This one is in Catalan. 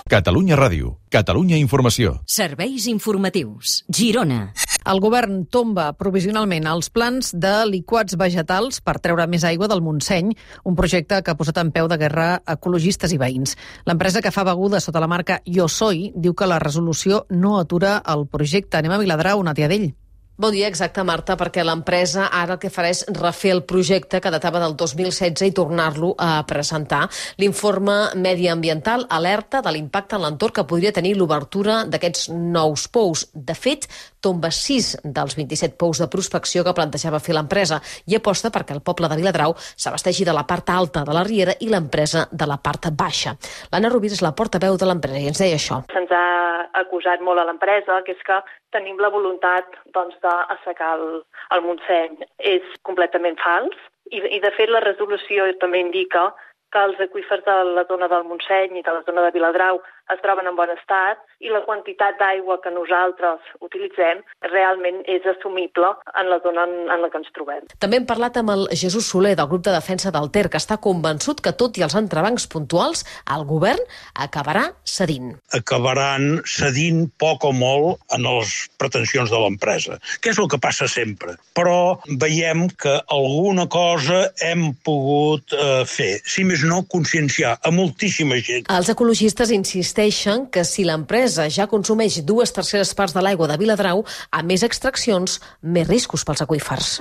Catalunya Ràdio, Catalunya Informació. Serveis informatius. Girona. El govern tomba provisionalment els plans de liquats vegetals per treure més aigua del Montseny, un projecte que ha posat en peu de guerra ecologistes i veïns. L'empresa que fa begudes sota la marca Jo Soy diu que la resolució no atura el projecte. Anem a Viladrau, Nàtia Dell. Bon dia, exacte, Marta, perquè l'empresa ara el que farà és refer el projecte que datava del 2016 i tornar-lo a presentar. L'informe mediambiental alerta de l'impacte en l'entorn que podria tenir l'obertura d'aquests nous pous. De fet, tomba 6 dels 27 pous de prospecció que plantejava fer l'empresa i aposta perquè el poble de Viladrau s'abasteixi de la part alta de la riera i l'empresa de la part baixa. L'Anna Rovira és la portaveu de l'empresa i ens deia això. Se'ns ha acusat molt a l'empresa, que és que tenim la voluntat d'assecar el Montseny. És completament fals i de fet la resolució també indica que els aqüífers de la zona del Montseny i de la zona de Viladrau es troben en bon estat i la quantitat d'aigua que nosaltres utilitzem realment és assumible en la zona en la que ens trobem. També hem parlat amb el Jesús Soler del grup de defensa del Ter, que està convençut que tot i els entrebancs puntuals, el govern acabarà cedint. Acabaran cedint poc o molt en les pretensions de l'empresa, que és el que passa sempre. Però veiem que alguna cosa hem pogut fer, si més no conscienciar a moltíssima gent. Els ecologistes insisteixen que si l'empresa ja consumeix 2/3 parts de l'aigua de Viladrau, a més extraccions, més riscos pels aqüífers.